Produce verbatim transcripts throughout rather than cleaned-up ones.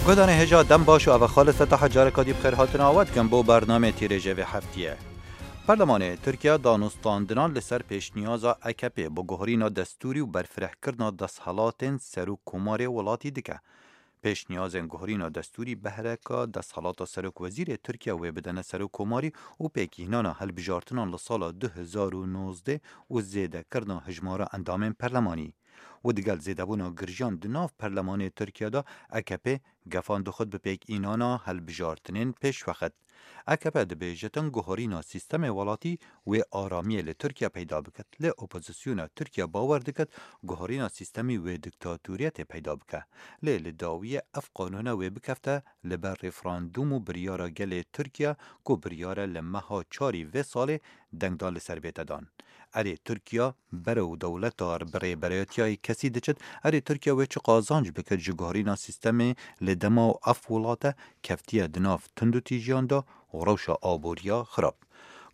Guhdarên hêja dem baş û eve Xalid Fetah careka dî bi xêr hatina we dikim bo bernameyê tîrêjê vê heftiyê. Perlemanê Tirkiye danûstandinan li ser pêşniyaza A K P bo guherîna destûrî û berfirehkirina desthilatên serokkomarê welatî dike. Pêşniyazên guherîna destûrî behreka desthilata serokwezîrê Tirkiye wê bidene serokkomarî û pêkînana hilbijartinan li sala du hezar û nozdeh û zêdekirina hijmara endamên perlemanî. Û digel zêdebûna girjiyan di nav perlemanê Tirkiye de A K P gefan dixwit bi pêkînana hilbijartinên pêşwexit. A K P dibêjitin guherîna sîstemê welatî wê aramiyê li Tirkiye peyda bikit. Lê opozisyona Tirkiye bawer dikit guherîna sîstemî wê diktatoriyetê peyda bike. Lê li dawiyê ev qanûne wê bikefte li ber referandûm û biryara gelê Tirkiye ku biryare li meha çarî vê salê dengdan li ser bête dan. Erê Tirkiye berew dewleta bi rêberayetiya yek kesî diçit, erê Tirkiye wê çi qazanc bikit ji guherîna sîstemê li dema û ev welate keftiye di nav tundûtîjiyan de û rewşa aboriya xirab.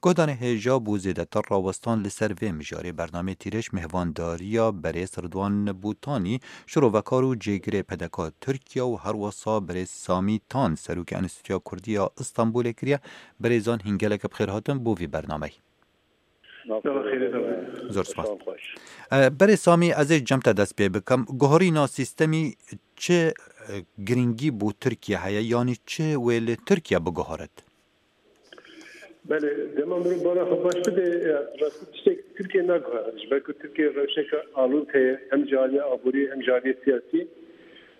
Guhdarên hêja bo zêdetir rawestan li ser vê mijarê bernameyê tîrêj mêhvandariya berêz Ridwan Bûtanî, şirovekar û cêgirê P D K Tirkiye û herwesa berêz Samî Tan, serokê Enstîtuya Kurdî ya Îstanbulê kiriye. Berêzan hîn gelek bi xêr hatin bo vî bernameyê. Zor spas. E, berê Samî, ez ê cem te dest pê bikim. Guherîna sîstemî çi, e, girîngî bo Tirkiye heye, yanî çi wê li Tirkiye biguherit? Belê, dema mirov bala xwe baş bide, e, rastî tiştek Tirkiye naguhere. Ji ber ku Tirkiye rewşeke alûz heye, hem ji aliyê aborî hem ji aliyê siyasî.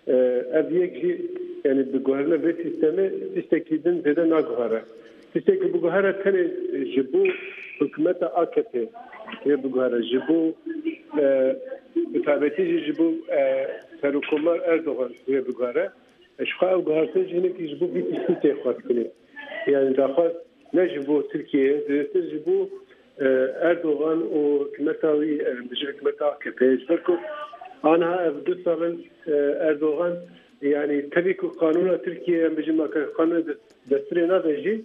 E, ev yek jî, yani bi guherîna vê sîstemê tiştekî din zêde naguhere. Tiştekî biguhere tenê ji bo hikûmeta A K P wê biguhere, ji bo, e, bi taybetî jî ji bo, e, Serokkomar Erdogan wê biguhere. E, ji xwe ev guhertin jî hinekî ji bo vî tiştî tê xwestinê. Yani daxwaz ne ji bo Tirkiyeyê, zêdetir ji bo, e, Erdogan û hikûmeta wî, e, bijî hikûmeta A K P. Ji ber ku aniha ev du sal in, e, Erdogan, yani tevî ku qanûna Tirkiyeyê, em bijî make qanûna de-, destûrê nade jî,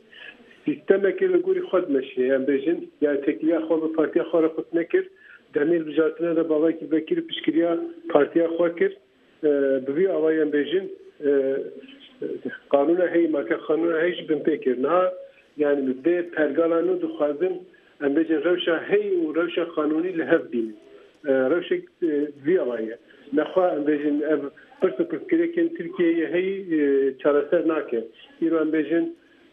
sîstemekê li gorî xwe dimeşîne. Em bêjin, yani têkiliya xwe bi partiya xwe re qut nekir. Demê hilbijartinê de bavekî vekir û piştgiriya partiya xwe kir. E, bi vî awayî em bêjin, e, qanûna heyî, make qanûna heyî jî binpê kir. Niha, yani bi vê pergala nû dixwazin, em bêjin rewşa heyî û rewşa qanûnî li hev bînin. E, rewşek, e, vî awayî ye. Nexwe em bêjin ev pirs û pirsgirêkên Tirkiyeyê heyî, e, çareser nake. Îro em bêjin,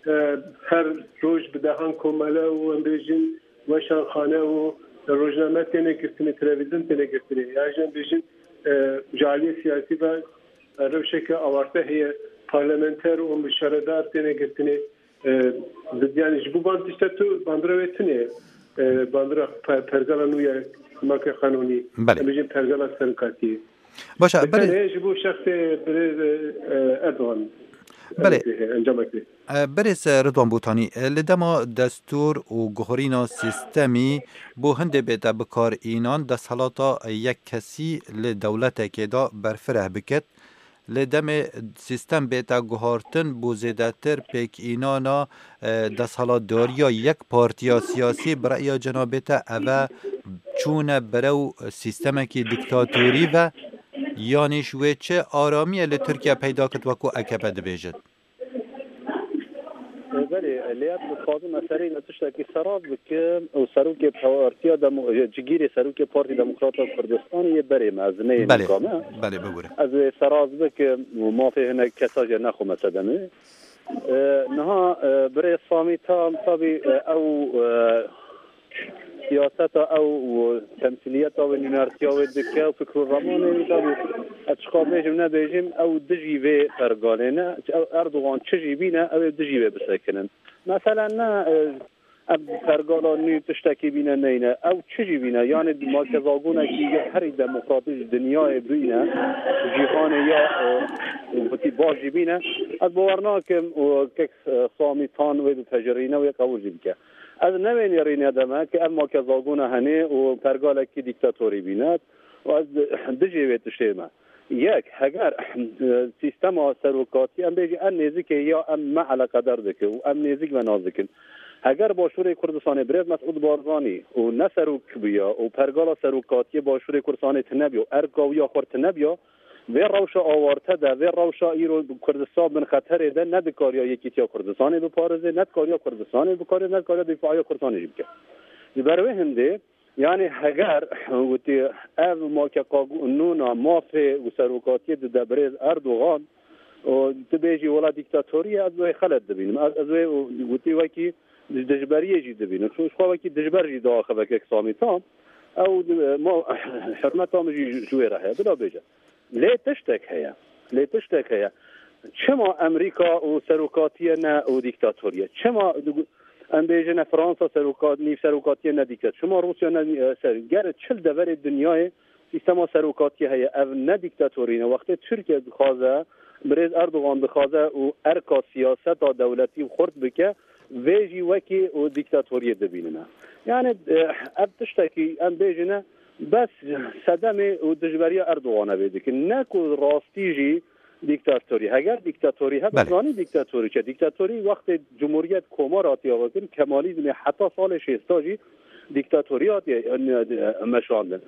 e, her roj bi dehan komele û em bêjin weşanxane û rojname têne girtinê, televîzyon têne girtinê. Ya jî em bêjin, e, ji aliyê siyasî ve, e, rewşeke awarte heye, parlamenter û şaredar têne girtinê. E, bi-, yani ji bo van tişta tu bandora wê tune ye. E, bandora pe-, pergala nû ye, make qanûnî. Belê. Em bêjin pergala serokatiyê. Baş e, Bi berê tenê ji bo şexsê birêz, e, Erdogan. Belê. Encamekê. E, berêz, e, Ridwan Botanî, e, li dema destûr û guherîna sîstemî bo hindê bête bikar înan, desthilata yek kesî li dewletekê de berfireh biket. Li demê sîstem bête guhartin, bo zêdetir pêkînana, e, desthilatdariya yek partiya siyasî, bi reya cenabê te, eve çûne berew sîstemekî dîktatorî ve, yanî ji wê çi aramiyê li Tirkiye peyda kit, wekû A K P dibêjit? Belê, lê ez dixwazim meseleyê li tiştekî seraz bikim û serokê Partiya Demo-, cigîrê serokê Partî Demokrata Kurdistanê yê berê me, ez neyê Belê, nîka me. Belê, bibûre. Ez ê seraz bikim û mafê hinek kesa jê nexwime sedemê. E, niha, e, birê Samî Tan, tabî, e, ew, e, siyaseta ew û temsîliyeta wê, nûnertiya wê dike û fikr û ramanê wî, tabî, ez çiqa bêjim nebêjim, ew dijî vê pergalê ne. Ew Erdogan çi jî bîne, ew ê dijî wê bisekinin. Mesele ne, e, ev pergala nû tiştekî bîne neyne. Ew çi jî bîne, yanî makezagonekî ya herî demokratîk ji dinyayê bîne, cîhanê ya, e, wekî baş jî bîne. Ez bawer nakim û kek, e, Samî Tan wê bipejirîne, wê qebûl jî bike. Ez newênî rîne deme ke ev makezagona henê û pergalekî dîktatorî bîne û ez di-, dijê wê tiştê me. Yek, heger, e, sîstema serokatî, em bêjî, em nêzikê ya em me eleqedar dike û em nêzik ve nas dikin. Heger Başûrê Kurdistanê birêz Mesûd Barzanî û ne serok bûya û pergala serokatiyê Başûrê Kurdistanê tune bûya û erka wî ya xurt tune bûya, Vê rewşa awarte de, vê rewşa îro Kurdistan bin xeterê de ne dikariya Yekîtiya Kurdistanê biparêze, ne dikariya Kurdistanê biparêze, ne dikariya dîfaiya Kurdistanê jî bike. Ji ber wê hindê, yanî heger witî ev makeqanûna mafê û serokatiyê dide birêz Erdogan û tu bêjî wela dîktatorî ye, ez wê xelet dibînim. Ez, ez wê witî wekî dijberiyê jî dibînim. Çû ji xwe wekî dijber jî diaxive kek Samî tam. Ew, e, ma, hurmeta min jî ji wê re heye. Bila bêje. Lê tiştek heye. Lê tiştek heye. Çima Amerîka û serokatiye ne û dîktatoriye? Çima em bêjine Fransa seroka-, nîv serokatiye ne dîktator? Çima Rûsya ne, e, ser? Ger çil deverê dinyayê sîstema serokatiye heye. Ev ne dîktatorî ne. Wextê Tirkiye dixwaze, birêz Erdogan dixwaze û erka siyaseta dewletî xurt bike, vê jî wekî û dîktatoriyê dibînine. Yani, e, ev tiştekî em bêjine bes sedemê û dijberiya Erdogan e vê dikin. Ne ku rastî jî dîktatorî. Heger dîktatorî hebe, Belê. Zanî dîktatorî çi? Dîktatorî wextê Cumhuriyet Komar hatiye vekirin, Kemalizmê heta salê şêsta jî dîktatorî hatiye, e, e, meşandin.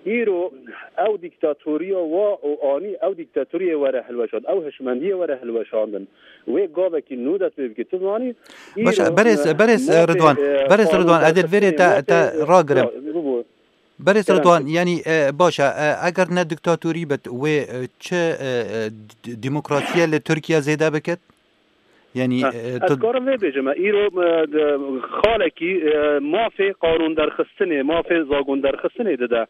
Îro ew dîktatoriya wa û anî ew dîktatoriyê were hilweşand, ew hişmendiyê were hilweşandin. Wê gavekî nû dest pê bike. Tu zanî, Baş e, îro, berêz, e, berêz, e, mafê, Ridwan, e, berêz Ridwan, ez ê li vêrê te, te ragirim. Bibû. Berêz Kerem Ridwan, yanî, e, baş e, e, eger ne diktatorî bit, wê, e, çi, e, e, d-, demokrasiye li Tirkiye zêde bikit? Yanî, Ha, e, ez tu karim vê bêjim, e, îro, e, de, xalekî, e, mafê qanûn derxistinê, mafê zagon derxistinê dide,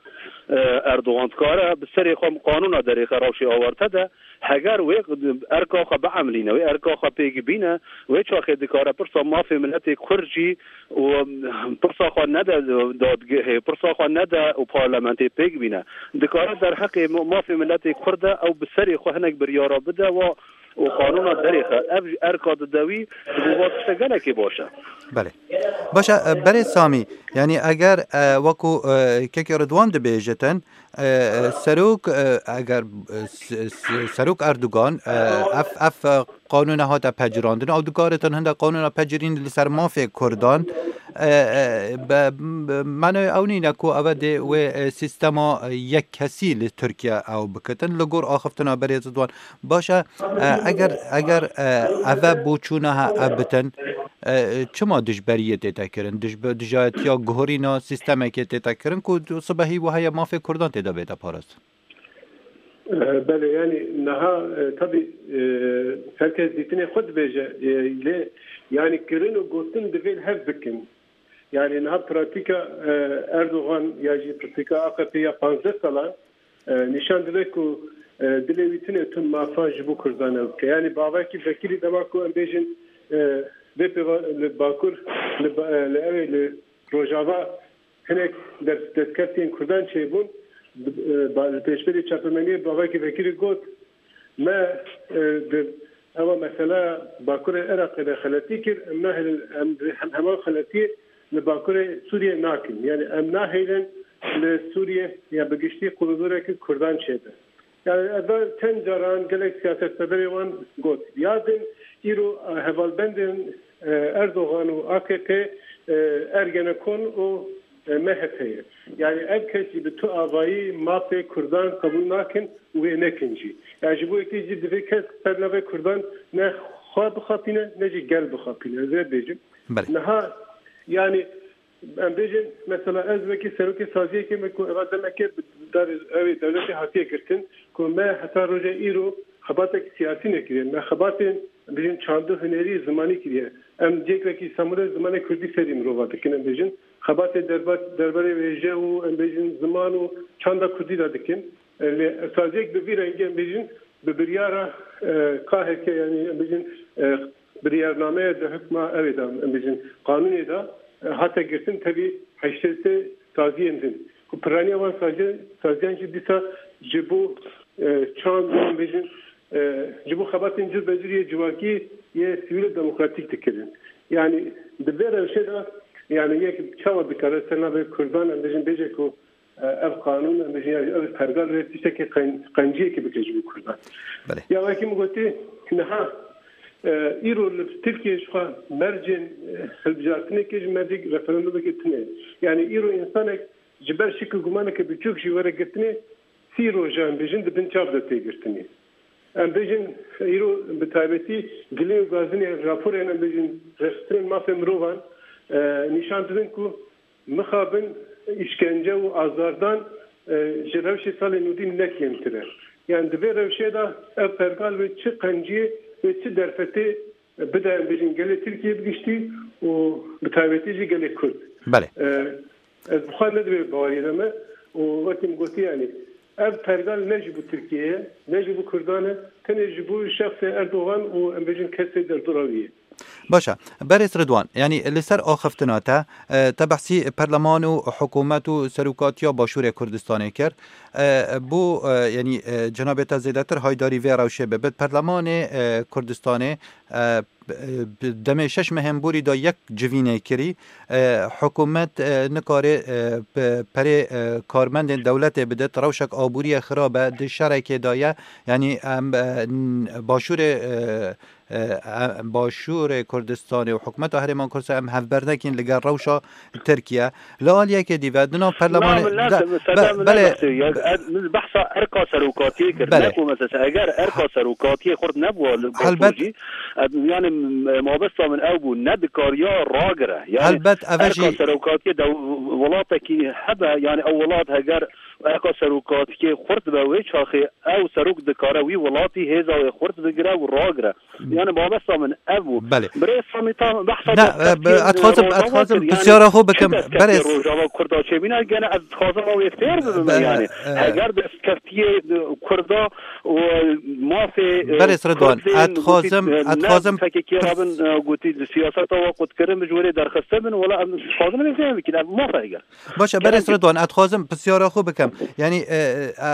e, Erdogan. Dikare bi serê xwe qanûna derêxe rewşê awarte de, heger wê erka xwe biemlîne, wê erka xwe pêk bîne, wê çaxê dikare pirsa mafê miletê Kurd jî û pirsa xwe nede dadgehê, pirsa xwe nede û parlamentê pêk bîne. Dikare derheqê mafê miletê Kurd de ew bi serê xwe hinek biryara bide wa û qanûna derêxe. Ev ji erka dide wî, ji bo va tişte gelekê baş e. Belê. Baş e, e, berê Samî, yanî eger, e, wekû, e, kekê Ridwan dibêjitin, e, e, serok, e, eger, e, s-, s-, serok Erdogan, e, ev, ev, e, qanûne hate pecirandin, ew dikaritin hinde qanûna pecirîn li ser mafê Kurdan, e, e, be, be, manoyê ew nîne ku eve dê wê, e, sîstema, e, yek kesî li Tirkiye ew bikitin, li gor axiftina berê Ridwan. Baş e, e, eger, eger, e, eve boçûna he ev bitin, e, çima dijberiyê tête kirin? Dijbe-, dijayetiya guhorîna sîstemekê tête kirin ku sibehî wiha ye mafê Kurdan tê de bête parastin? E, belê, yani niha, e, tabii, e, her kes dîtinê xwe dibêje, e, lê yani kirin û gotin divê li hev bikin. Yani niha pratîka, e, Erdogan ya jî pratîka A K P ya panzdeh salan, e, nîşan dide ku, e, dilê wî tune tu mafa ji bo Kurdan ew dike. Yani bavekî vekirî dema ku em bêjin, e, vê pêva li Bakur, li ba-, e, li ew ê li Rojava hinek dest-, destkeftiyên Kurdan çêbûn, e, ba-, li pêşberî çapemeniyê bavekî vekirî got, Me, e, di, ewa mesela Bakurê Iraqê de xeletî kir, em nahêlin, em di hem, heman xeletiyê li Bakurê Sûriyê nakin. Yani em nahêlin li Sûriyê ya bi giştî qulûdoreke Kurdan çêbe. Yani ev çend caran gelek siyasetmedarê wan got. Ya din îro, e, hevalbendên, e, Erdogan û A K P, e, Ergenekon û e, M H P ye. Yani ev kes jî bi tu avayî mafê Kurdan qebûl nakin û wê nekin jî. Yani ji bo yekê jî divê kes ser navê Kurdan ne xwe bixapîne, ne jî gel bixapîne. Ez vê bêjim. Belê. Niha yani em bêjin mesela ez wekî serokê saziyekê me ku eva demeke bi dar-, ew ê dewletê hatiye girtin ku me heta roja îro xebatek siyasî nekiriye. Me xebatên, em bêjin, çand û hunerî zimanî kiriye. Em cêkvekî Îstanbulê zimanê kurdî fêrî mirova dikin, em bêjin. Xebatê derba-, derbarê wêje û, em bêjin, ziman û çanda kurdî de dikin. E, lê saziyek bi vî rengî, em bêjin, bi biryara, e, K H K, yani, em bêjin, e, biryarnameya di hukma ew ê de, em bêjin, qanûnê de, e, hate girtin, tevî heştê sê saziyên din. Ku piraniya wan sazi-, saziyan jî dîsa ji bo, e, çand, em bêjin, e, ji bo xebatên cur be cur yê civakî yê sivîl û demokratîk dikirin. Yani di vê rewşê de, yani yek çawa dikare ser navê Kurdan, em bêjin, bêje ku, e, ev qanûn, em bêjin, ya ev pergal wê tiştekî qen-, qenciyekê bike ji bo Kurdan. Belê. Ya wekî min gotî, niha, e, îro li Tirkiye ji xwe mercên, e, hilbijartinekê ji mercek referandumekê tune ye. Yani îro însanek ji ber şik û gumaneke biçûk jî were girtinê, sî roja em bêjin di bin çav de tê girtinê. Em bêjin îro bi taybetî gilê û gazinê raporên em bêjin rêxistinên mafê mirovan e, nîşan didin ku mixabin, îşkence û azardan e, ji rewşê salên nûdî ne kêmtir e. Yani di vê rewşê de ev pergal wê çi qenciyê, wê çi derfetê bide em bêjin gelê Tirkiyê bi giştî û bi taybetî jî gelê Kurd. Belê. E, ez bi xwe ne di vê baweriyê de me û wekî min gotî, yani ev pergal ne ji bo Tirkiyê ye, ne ji bo Kurdan e, tenê ji bo şexsê Erdogan û em bêjin kesê derdora wî ye. Baş e. Berêz Ridwan, yanî li ser axiftina te, e, te behsî perleman û hikûmet û serokatiya Başûrê Kurdistanê kir. E, bo, e, yanî, e, cenabê te zêdetir haydarî vê rewşê bibit. Perlemanê, e, Kurdistanê, e, bi demê şeş mehên borî de yek civînê kirî. E, hikûmet, e, nikare, e, pe-, perê, e, karmendên dewletê bidit, rewşek aboriyê xirab e, di şerekê de ye. Yanî em, e, n-, Başûrê, e, e, e, Başûrê Kurdistanê û hikûmeta Herêma Kurdistanê em hevber nekin li gel rewşa Tirkiye. Li aliyekê dî ve di nav perlemanê... Na, min ne, de, min be, sede min belê, nebexşe. Ya, be- ez, min behsa erka serokatiyê kir. Belê. Ne ku mesela eger erka serokatiyê xurt nebû li Bakur Helbet. Jî, ez, yani, m-, mabesta min ew bû, ne dikariya ragire. Yani, Helbet, ev erka jî serokatiyê de welatekî hebe, yani ew welat heger erka serokatiyê xurt be, wê çaxê ew serok dikare wî welatî hêza wê xurt bigire û ragire. Yani mabesta min ev bû. Belê. Birêz Samî, tam behsa... Ne, e, ez dixwazim, ez dixwazim pirsyara xwe bikim. Berêz Rojava Kurda çêbîne, gene ez dixwazim ew ê fêr bibim, yani. Heger destkeftiyê, e, Kurda û mafê, e, Berêz Ridwan, ez dixwazim, e, ez dixwazim P K K ra bin, e, gotî siyaseta we qutkirin bi ji wê derxiste bin, wela em dixwazin em ê fêr bikin, ev maf e heger. Baş e, Berêz Ridwan, ez dixwazim pirsyara xwe bikim. Yani, e, e,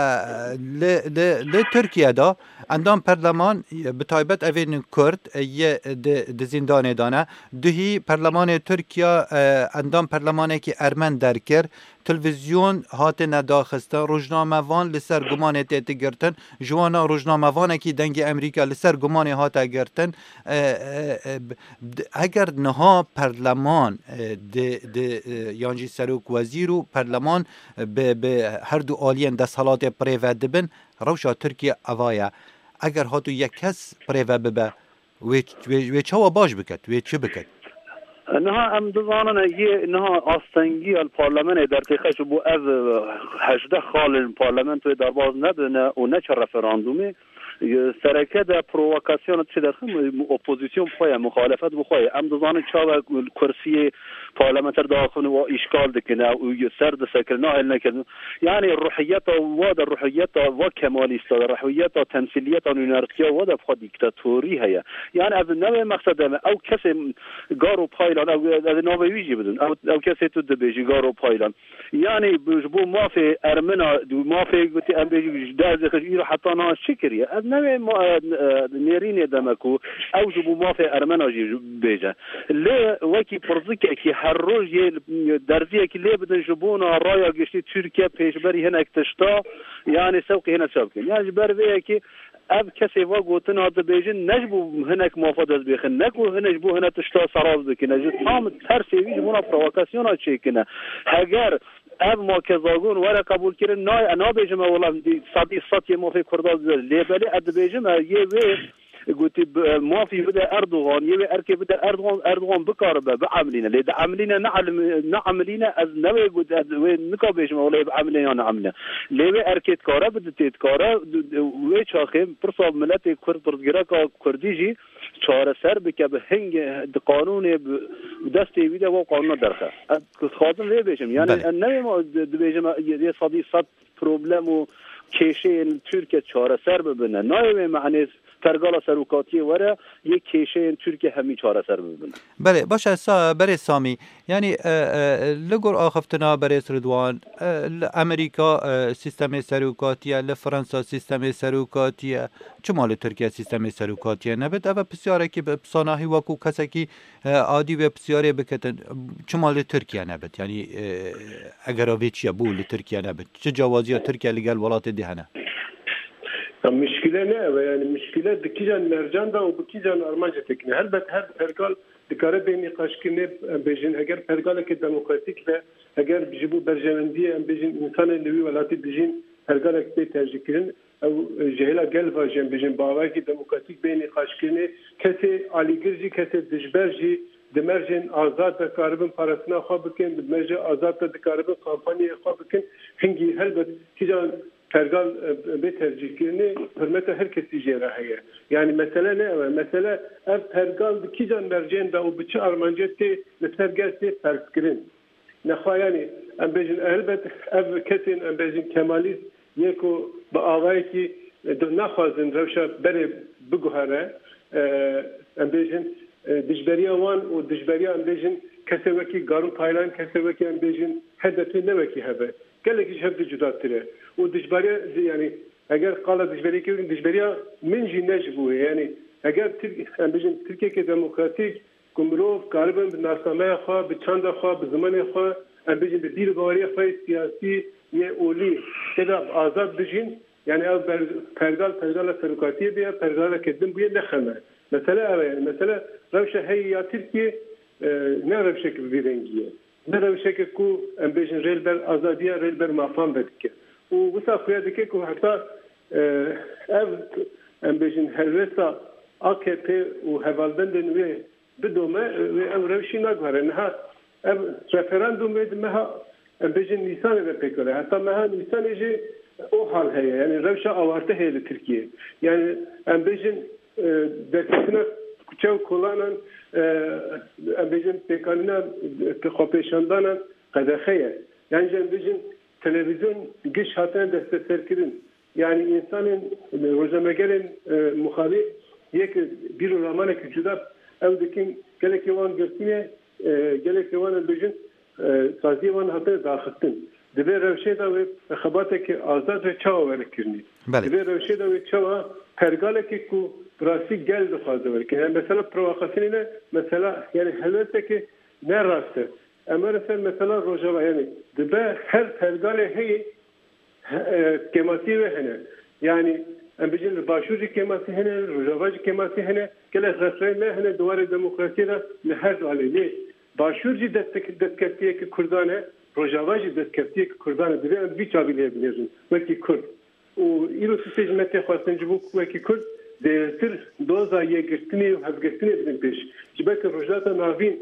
li, li, li Tirkiye de endam perleman, bi taybet evên Kurd, yê di, di zîndanê de ne. Duhî perlemanê Tirkiye, e, endam perlemanekî Ermen derkir. Televîzyon hatine daxistin. Rojnamevan li ser gumanê tête girtin. Ji wana rojnamevanekî Dengê Emerîka li ser gumanê hate girtin. E, e, e, b-, d-, eger niha perleman, e, di, di, e, yan jî serok wezîr û perleman, e, bi, bi her du aliyên desthilatê bi rê ve dibin, rewşa Tirkiye eva ye. Eger hatu yek kes bi rê ve bibe, wê, wê, wê çawa baş biket, wê çi biket? Niha em dizanin, yê niha astengiya li parlamenê dertêxe ji bo ev, e, hejdeh xalên parlamentoyê derbas nebine û neçe referandumê. Sereke de provokasyon çi derxin, opozîsyon bi xwe ye, muxalefet bi xwe ye. Em dizanin çawa kursiyê parlamenter diaxivin û îşgal dikin û ser disekirin, nahêl nekirin. Yani ruhiyeta wa de, ruhiyeta wa kemalîsta de, ruhiyeta temsîliyeta nûnertiya wa de bi xwe dîktatorî heye. Yani ev ne wê mexsede me. Ew kesê Garo Paylan, ew, ez ê navê wî jî bidim. Ew, ew kesê tu dibêjî, Garo Paylan. Yani, ji bo mafê Ermena, mafê gotî em bêjî ji deh zêxij îro heta niha çi kiriye? Ez newê ma-, e, e, nêrînê de me ku ew ji bo mafê Ermena jî bêje. Lê wekî pirzikekî her roj yê derziyekî lê bidin ji bona raya giştî Tirkiye pêşberî hinek tişta, yani sewqî hene çav bikin. Yani ji ber vê yekê ev kesê va gotina dibêjin, ne ji bo hinek mafa dest bêxin, ne ku hinek ji bo hine tişta seraz bikin, ji tam tersê wî ji bona provokasyona çêkine. Heger ev makezagon were qebûlkirin, nayê, e, nabêjim e, wela, sedî sed yê mafê Kurda dibêje. Lê belê ez dibêjim, e, yê wê gotî, e, mafî bide Erdogan, yê wê erkê bide Erdogan, Erdogan bikaribe, biemilîne. Lê diemilîne, ne elm-, neemilîne, ez ne wê got-, ez wê nika bêjim, wela, biemilîne ya neemilîne. Lê wê erkê dikare bide, tê dikare, d-, d-, wê çaxê pirsa miletê Kurd, pirsgirêka Kurdî jî çareser bike, bi hingê, di qanûnê, bi, bi destê wî de wa qanûna derxe. Ez dixwazim vê bêjim. Yani, Belê. em newê ma di-, dibêjim, yê sedî sed problem û kêşeyên Tirkiye çareser bibine. Nayê wê mehnê pergala serokatiyê were, yê kêşeyên Tirkiye hemî çareser bibin. Belê, baş e, sa-, berê Samî. Yani, e, e, li gor axiftina berêz Ridwan, e, li Amerîka, e, sîstemê serokatiye, li Fransa sîstemê serokatiye. Çima li Tirkiye sîstemê serokatiye nebit? Ev e pirsiyarekî bi sanahî wekû kesekî, e, adî wê pirsyarê bikitin. Çima li Tirkiye nebit? Yani, e, egera vê çi ye, bo li Tirkiye nebit? Çi cawaziya Tirkiye li gel welatê dî hene? Ya, mişkile ne ev e? Yani mişkile di kîjan mercan de û bi kîjan armancê têkine. Helbet her pergal dikare bê nîqaşkirinê, em bêjin, eger pergaleke demokratîk be, eger ji bo berjewendiyê, em bêjin, însanên li wî welatî dijîn, pergalek bê tercîhkirin, ew ji hêla gel ve jî em bêjin bi awayekî demokratîk bê nîqaşkirinê, kesê alîgir jî, kesê dijber jî di mercên azad de karibin parastina xwe bikin, di mercê azad de dikaribin kampanyaya xwe bikin. Hingî helbet kîjan pergal, e, bê tercîhkirinê, hurmeta her kesî jê re heye. Yanî mesele ne ew e. Mesele ev pergal di kîjan mercên de û bi çi armancê tê li ser gel tê ferzkirin. Nexwe yanî em bêjin, helbet ev kesên em bêjin kemalîst yê ku bi awayekî, e, di naxwazin rewşa berê biguhere, e, em bêjin, e, dijberiya wan û dijberiya em bêjin kesê wekî Garû Paylan, kesê wekî em bêjin H D P ne wekî hev e. Gelekî ji hev di cudatir e. Û dijberiya, yanî eger qala dijberiyê kirin, dijberiya min jî ne ji bo wê. Yanî eger Tirk-, em bêjin Tirkiyeke demokratîk, ku mirov karibin bi nasnameya xwe, bi çanda xwe, bi zimanê xwe, em bêjin bi bîr û baweriya xwe yê siyasî yê olî tê de bi azad bijîn, yanî ev ber-, pergal, pergala serokatiyê bûye, pergaleke din bûye, ne xem e. Mesele ev e, yanî mesele rewşa heyî ya Tirkiyê, e, ne rewşeke bi vî rengî ye. Ne rewşeke ku em bêjin rê li ber azadiya, rê li ber mafan vedike. Û wisa xuya dike ku heta, e, ev, em bêjin helwesta A K P û hevalbendên wê bidome, wê ew rewşî naguhere. Niha ev referandûm wê di meha, em bêjin, Nîsanê de pêk were. Heta meha Nîsanê jî o hal heye. Yanî rewşa awarte heye li Tirkiyê. Yanî em bêjin, e, derketina kuçe û kolanan, e, em bêjin pêkanîna, e, xwepêşandanan qedexe ye. Yan jî em bêjin televîzyon giş hatine desteserkirin. Yanî însanên, e, rojnamegerên, e, muxalîf yek bîr û ramanekî cuda ew dikin, gelekê wan girtî ne, e, gelekê wan em bêjin, e, saziyê wan hatine daxistin. Di vê rewşê de wê xebateke azad wê çawa were kirinî? Belê. Di vê rewşê de wê çawa pergalekê ku bi rastî gel dixwaze were kirin? Yani mesela provokasyonê ne, mesela yani helwesteke ne rast e. Em were ser mesela Rojava, yani dibe her pergalê heyî he-, e, kêmasiyê wê hene. Yani em bêjin li Başûr jî kêmasî hene, li Rojava jî kêmasî hene. Gelek rexneyên me hene di warê demokrasiyê de li her du alê. Lê Başûr jî destek-, destkeftiyeke Kurdan e, Rojava jî destkeftiyeke Kurdan e. Divê em vî çavî lê binêrin wekî Kurd. Û îro tiştê ji me tê xwestin ji bo ku wekî Kurd zêdetir doza yekgirtinê û hevgirtinê bidin pêş. Ji ber ku Rojhilata Navîn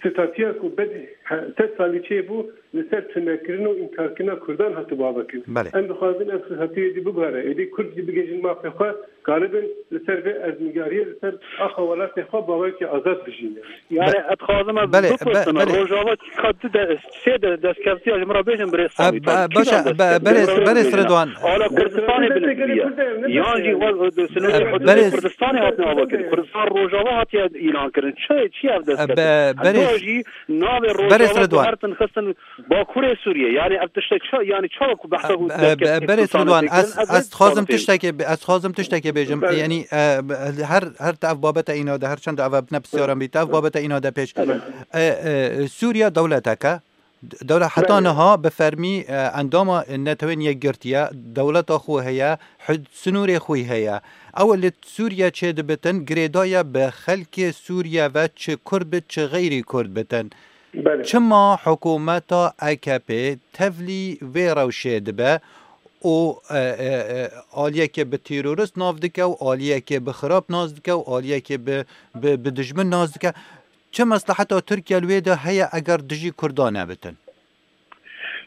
statûya ku bed he-, sed salî çêbû, li ser tunekirin û înkarkirina Kurdan hatibû avakirin. Belê. Em dixwazin ev statûyê dî biguhere, êdî Kurd jî bigihîjin mafê xwe, karibin li ser vê erdnigariyê, li ser axa welatê xwe bawekî azad bijîne. Yani, Be-, ez dixwazim ez belê, bipirsim, be-, belê. Rojava ka du de, sê de destkeftî ya ji min re bêjin birêz E, Samî, be-, ta kîjan baş e, be-, destkeftî? berêz, Min re berêz bêjin. Ridwan. Ala Kurdistanê bilind bûye. Yan jî waz-, sinoyê E, hududê berêz Kurdistanê hatine avakirin. Kurdistan Rojava hatiye îlan kirin. Çi, çi ev E, destkeftî? be-, Heta berêz, jî navê berêz Rojava Ridwan. Guhertin xistin Bakurê Sûriyê. Yani ev tiştek ça-, yani çawa ku behsa E, ku e, destkeftî be-, berêz Kurdistanê Ridwan, tê kirin, ez, ev ez dixwazim destkeftî tiştekê, ez dixwazim tiştekê bêjim. Belê. Yani, e, her, her te ev babete îna de, her çend ev bine pisyaran bî, te ev babete îna de pêş. Belê. E, e, Sûriye dewleteke, Dewle heta Belê. niha bi fermî, e, endama Netewên Yekgirtiye, dewleta xwe heye, hud-, sinûrê xwe heye. Ew li Sûriye çêdibitin, girêdaye bi xelkê Sûriye ve çi Kurd bit, çi xeyrî Kurd bitin. Belê. Çima hikûmeta A K P tevlî vê rewşê dibe û, e, e, e, aliyekê bi terorist nav dike û aliyekê bi xirab nas dike û aliyekê bi, bi, bi dijmin nas dike? Çi mesleheta Tirkiye li wê de heye eger dijî Kurdan nebitin?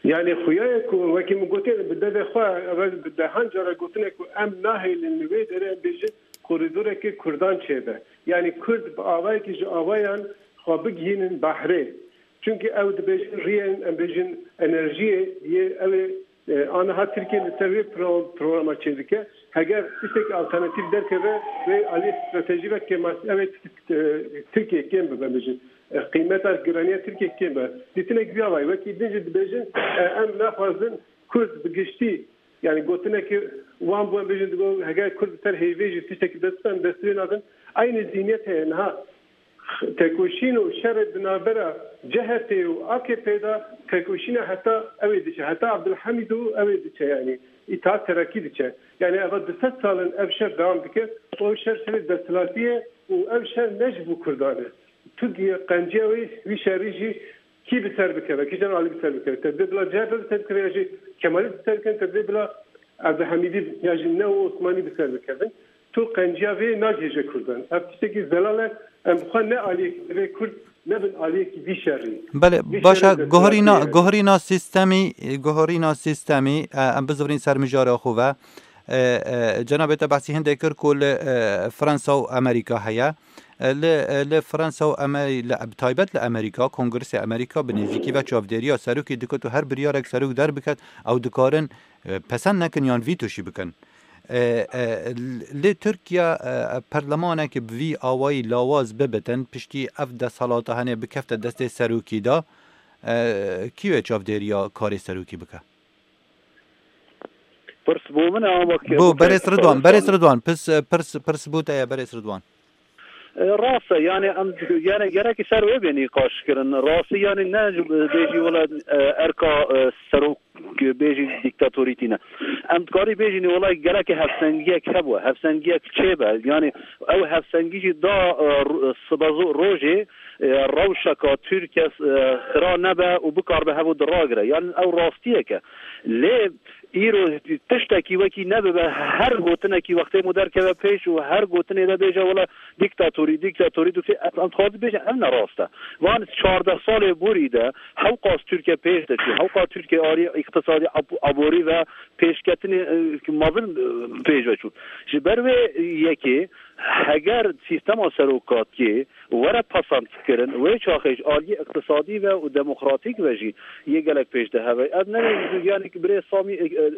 Yani xuya ye ku wekî min gotiye, bi devê xwe, ev bi dehan cara gotine ku em nahêlin li wê derê em bêjin koridoreke Kurdan çêbe. Yani Kurd bi avayekî ji avayan xwe bigihînin behrê. Çünkü ew dibêjin riyên, em bêjin enerjiyê yê ew ê, e, aniha Tirkiye li ser wê pro-, programa çêdike. Heger tiştekî alternatîf derkeve, wê aliyê stratejî ve kêmasî, ew ê, e, Tirkiye kêm bibe, em bêjin. E, qîmeta giraniya Tirkiye kêm be. Dîtinek vî avayî, wekî din jî dibêjin, e, em naxwazin Kurd bi giştî, yani gotinekî wan bû, em bêjin, digo, heger Kurd li ser heyvê jî tiştekî dest bide, em dest wê nadin. Eynî zîniyet heye niha. Tekoşîn û şerê di navbera C H P û A K P de tekoşîna heta ew ê diçe, heta Abdulhamîd û ew ê diçe, yani Îttihat Terakî diçe. Yani eva du sed sal in ev şer dewam dike. O şer şerê desthilatî ye û ev şer ne ji bo Kurdan e. Tu diye qenciya wê, wî şerî jî kî bi ser bikeve, kîjan alî bi ser bikeve. Te dê bila C H P bi ser bikeve ya jî Kemalîst bi ser bikeve, te dê bila Abdulhamidî ya jî ne û Osmanî bi ser bikevin. Tu qenciya vê nagihêje Kurdan. Ev tiştekî zelal e. Em bi xwe ne aliyekî divê Kurd nebin aliyekî vî şerî. Belê, baş e, guherîna, guherîna sîstemî, guherîna sîstemî, e, em bizivirîn ser mijara xwe ve. E, e, cenabê te behsî hindê kir ku li, e, Fransa û Amerîka heye. E, li, e, li Fransa û Amerî-, li, bi taybet li Amerîka, Kongresê Amerîka bi nêzîkî ve çavdêriya serokê dikit û her biryarek serok derbiket, ew dikarin, e, pesend nekin yan vîto jî bikin. E, e, lê Tirkiye, e, perlemanekê bi vî awayî lawaz bibitin, piştî ev desthilata hene bikefte destê serokî de, e, kî wê çavdêriya karê serokî bike? Pirs bo min e ama Bo berêz Ridwan, berêz Ridwan, pirs, pirs, pirs bo te ye, berêz Ridwan. E, rast e, yani em yani gerekî ser wê bê nîqaş kirin. Rastî yani ne bêjî wela, e, erka, e, serok bêjî dîktatorî tîne. Em dikarî bêjî nê wela gelekî hevsengiyek hebû, hevsengiyek çêbe. Yani ew hevsengî jî da, e, ro-, sibezo rojê, e, rewşeka Tirkiye, e, xira nebe û bikarbe hev û diragire. Yani ew rastiyek e. Lê îro tiştekî wekî nebibe, her gotinekî wextê mû derkeve pêş û her gotinê de bêje wela dîktatorî, dîktatorî, dîktatorî, em dixwazin bêjin ev ne rast e. Van çardeh salê borî de hewqas Tirkiye pêş de çû, hewqas Tirkiye alî îqtisadî ab-, aborî ve pêşketinê, e, mezin, e, pêş ve çû. Ji ber wê yekê heger sîstema serokatiyê were pesend kirin, wê çaxê ji aliyê iqtisadî ve û demokratîk ve jî yê gelek pêş de heve. Ev ne, yani birê Samî, e, e,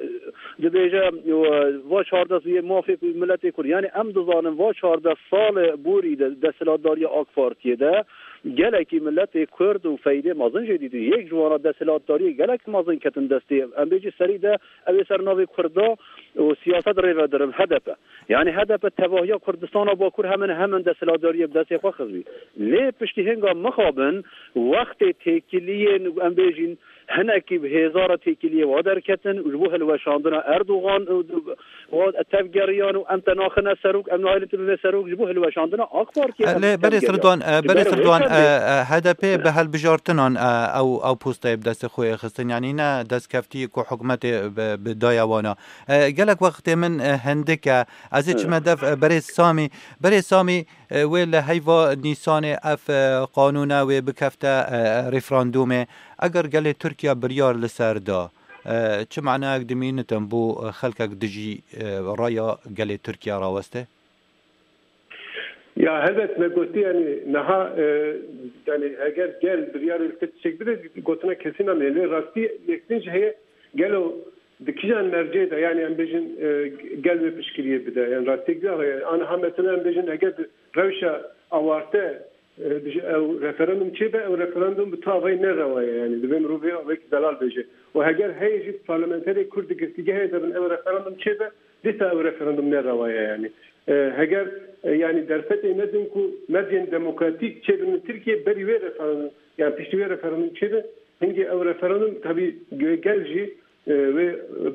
dibêje, e, va çardeh yê mafê miletê Kurd. Yani em dizanin va çardeh sal borî de desthilatdariya AK Partiyê de gelekî miletê Kurd û feydê mezin jê dîtin. Yek ji wana desthilatdariyê gelek mezin ketin destê. Em bêjî serî de ew ê ser navê Kurda û siyaset rêvedirin HDP. Yani HDP tevahiya Kurdistana Bakur hemen hemen desthilatdariyê bi destê xwe xistbî. Lê piştî hinga mixabin wextê têkiliyên, em bêjîn, hinekî bi hêza re têkiliyê wa derketin û ji bo hilweşandina Erdogan û wa tevgeriyan û em te naxine serok, em nahêlin tu bibê serok ji bo hilweşandina AK Partiyê. Lê berê Sirdoğan, e, berê Sirdoğan, e, e, HDP bi helbijartinan, e, ew, ew posteyê bi destê xwe yê xistin. Yani ne destkeftî ku hikûmetê bi, bi daye wana. E, gelek wextê min, e, hindik e. Ez ê çime dev, e, berê Samî. Berê Samî, e, wê li heyva Nîsanê ev, e, qanûne wê bikefte, e, referandûmê. Eger gelê Tirkiye biryar li ser da, e, çi manayek dimînitin bo, e, xelkek dijî, e, raya gelê Tirkiye raweste? Ya helbet me gotî, yani niha, e, yani eger gel biryarê li ser tiştek bide, gotina kesî name. Lê rastî yek din jî heye, gelo di kîjan mercê de, yani em bêjin, e, gel wê piştgiriyê bide. Yani rastiyek din heye. Aniha mesela em bêjin eger di rewşa awarte, e, ew referandum çêbe, ew referandum bi tu avayî ne rewa ye, yani divê mirov vê avayekî zelal bêje. Û heger heye jî parlamenterê Kurd di girtîgehê de bin ew referandum çêbe, dîsa ew referandum ne rewa ye, yani. E, heger, e, yani derfetê me din ku mercên demokratîk çêbin li Tirkiye berî wê referandum, yani piştî wê referandum çêbe, hingê ew referandum tabî gel jî, e, wê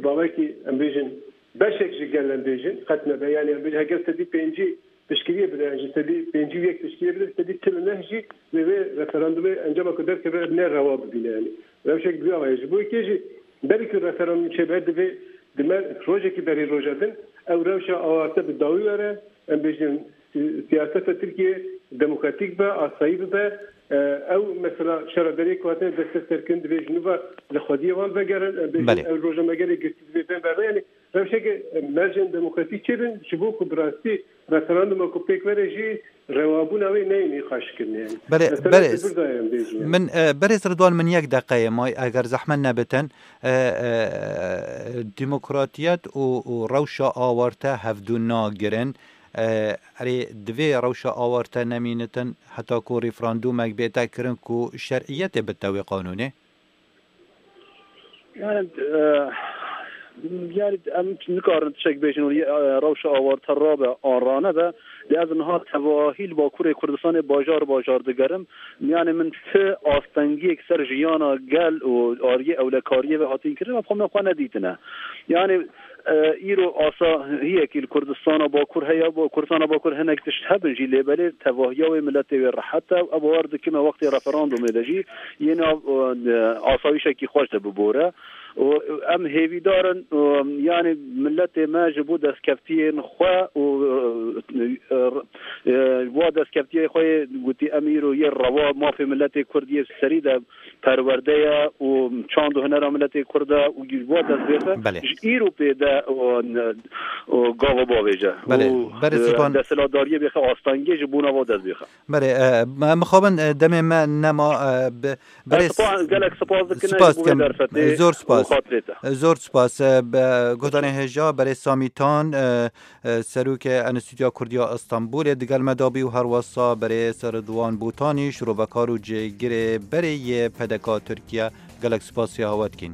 bawekî em bêjin, beşek ji gel em bêjin, qet nebe. Yani em bêjin heger sedî pêncî piştgiriyê bide, yani ji sedî pêncî û yek piştgiriyê bide, sedî çil û neh jî wê wê referandumê encama ku derkeve ne rewa bibîne, yani. Rewşek bi vî ava ye. Ji bo yekê jî berî ku referandum çêbe divê di me rojekî berî roja din ew rewşa awarte bi dawî were, em bêjin si-, siyaseta Tirkiye demokratîk be, asayî bibe. E, ew mesela şera derê ku hatine desteserkirin divê ji nû ve li xwediyê wan vegerin. Em bêjin ew roja me gelê girtî divê bên berve. Yani rewşeke, e, mercên demokratîk çêbin ji bo ku bi rastî referanduma ku pêk were jî rewabûna wê neyê nîqaşkirinê. Yani. Belê, Mesela berêz. Sifir daye em bêjin. Min, e, berêz Ridwan, min yek deqeyê may, eger zehmet nebitin, e, e, demokratiyet û, û rewşa awarte hevdu nagirin. E, erê, divê rewşa awarte nemînitin heta ku referandumek bête kirin ku şer'iyetê bite wê qanûnê? Yani, e, yani em nikarin tiştek bêjin û, e, rewşa awarte rabe an ranebe. Lê ez niha tevahî li Bakurê Kurdistanê bajar bajar digerim. Yani min ti astengiyek ser jiyana gel û aliyê ewlekariyê ve hatîn kirin, em xwe me xwe nedîtine. Yani, e, îro asahiyekî li Kurdistana Bakur heye, bo Kurdistana Bakur hinek tişt hebin jî, lê belê tevahiya wê miletê wê rehet e. Ev bawer dikim me wextê referandumê de jî yê nav, e, asayîşekî xweş de bibore. û em hêvîdar in, û, yanî milletê me ji bo destkeftiyên xwe û, e, e, e, wa destkeftiyê xwe yê gotî, em îro yê rewa mafê milletê Kurd yê serî de perwerde ye û çand û hunera milletê Kurd e û ji wa dest bêxe, Belê. Ji îro pê de û, û gava bavêje. Belê. Û, Berê e, Sîpan. Desthilatdariyê bêxe astengê ji bona wa dest bêxe. Belê, e, me, mixabin, e, demê me nema, e, bi, Berê Ez spa-, gelek spas dikin, Spas ji bo vê dikim. derfetê Zor û spas. xatirê te. Zor spas. E, be, guhdarên hêja, berê Samî Tan, e, e, serokê Enstîtuya Kurdiya Îstanbulê digel me dabî û herwesa berê Ridwan Botanî, şirovekar û cêgirê berê yê P D K Tirkiye. Gelek spas ya hewe dikîn.